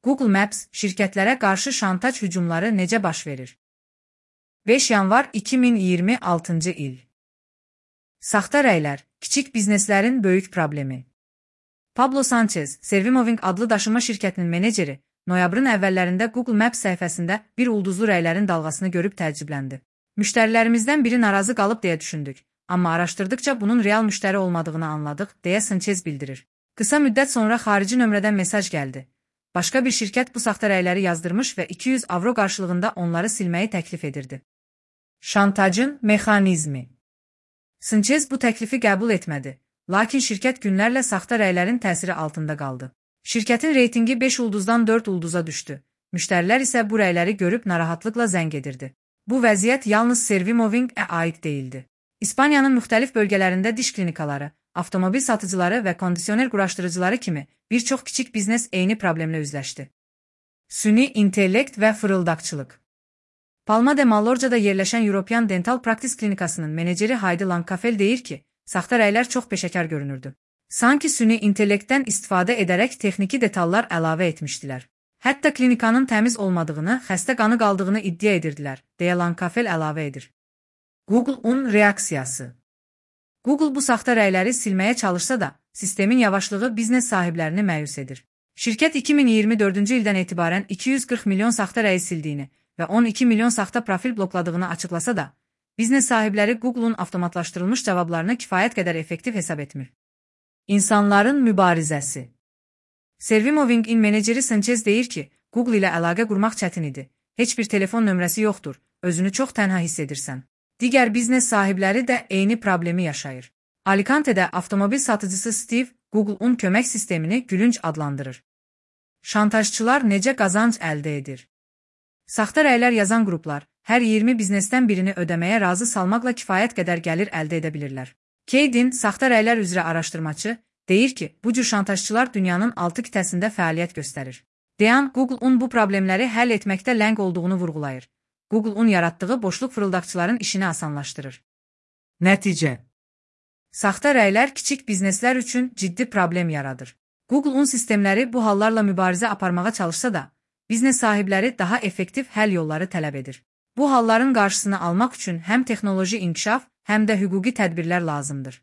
Google Maps şirkətlərə qarşı şantaj hücumları necə baş verir? 5 yanvar 2026-cı il. Saxta rəylər, kiçik bizneslərin böyük problemi. Pablo Sanchez, Servimoving adlı daşıma şirkətinin meneceri, noyabrın əvvəllərində Google Maps səhifəsində bir ulduzlu rəylərin dalğasını görüb təəccübləndi. Müştərilərimizdən biri narazı qalıb deyə düşündük, amma araşdırdıqca bunun real müştəri olmadığını anladıq, deyə Sanchez bildirir. Qısa müddət sonra xarici nömrədən mesaj gəldi. Başqa bir şirkət bu saxta rəyləri yazdırmış və 200 avro qarşılığında onları silməyi təklif edirdi. Şantajın mexanizmi. Sanchez bu təklifi qəbul etmədi, lakin şirkət günlərlə saxta rəylərin təsiri altında qaldı. Şirkətin reytingi 5 ulduzdan 4 ulduza düşdü. Müştərilər isə bu rəyləri görüb narahatlıqla zəng edirdi. Bu vəziyyət yalnız Servimoving-ə aid deyildi. İspaniyanın müxtəlif bölgələrində diş klinikaları, avtomobil satıcıları və kondisioner quraşdırıcıları kimi bir çox kiçik biznes eyni problemlə üzləşdi. Süni intellekt və fırıldaqçılıq. Palma de Mallorca'da yerləşən European Dental Practice klinikasının meneceri Heidi Langkafel deyir ki, saxta rəylər çox peşəkar görünürdü. Sanki süni intellektdən istifadə edərək texniki detallar əlavə etmişdilər. Hətta klinikanın təmiz olmadığını, xəstə qanı qaldığını iddia edirdilər, deyə Langkafel əlavə edir. Google-un reaksiyası. Google bu saxta rəyləri silməyə çalışsa da, sistemin yavaşlığı biznes sahiblərini məyus edir. Şirkət 2024-cü ildən etibarən 240 milyon saxta rəyi sildiyini və 12 milyon saxta profil blokladığını açıqlasa da, biznes sahibləri Google-un avtomatlaşdırılmış cavablarını kifayət qədər effektiv hesab etmir. İnsanların mübarizəsi. Servimoving-in meneceri Sanchez deyir ki, Google ilə əlaqə qurmaq çətin idi. Heç bir telefon nömrəsi yoxdur, özünü çox tənha hiss edirsən. Digər biznes sahibləri də eyni problemi yaşayır. Alicante'də avtomobil satıcısı Steve, Google-un kömək sistemini gülünc adlandırır. Şantajçılar necə qazanc əldə edir? Saxta rəylər yazan qruplar hər 20 biznesdən birini ödəməyə razı salmaqla kifayət qədər gəlir əldə edə bilirlər. Kaydin, saxta rəylər üzrə araşdırmaçı, deyir ki, bu cür şantajçılar dünyanın 6 qitəsində fəaliyyət göstərir. Deyan, Google-un bu problemləri həll etməkdə ləng olduğunu vurğulayır. Google-un yaratdığı boşluq fırıldaqçıların işini asanlaşdırır. Nəticə. Saxta rəylər kiçik bizneslər üçün ciddi problem yaradır. Google-un sistemləri bu hallarla mübarizə aparmağa çalışsa da, biznes sahibləri daha effektiv həll yolları tələb edir. Bu halların qarşısını almaq üçün həm texnoloji inkişaf, həm də hüquqi tədbirlər lazımdır.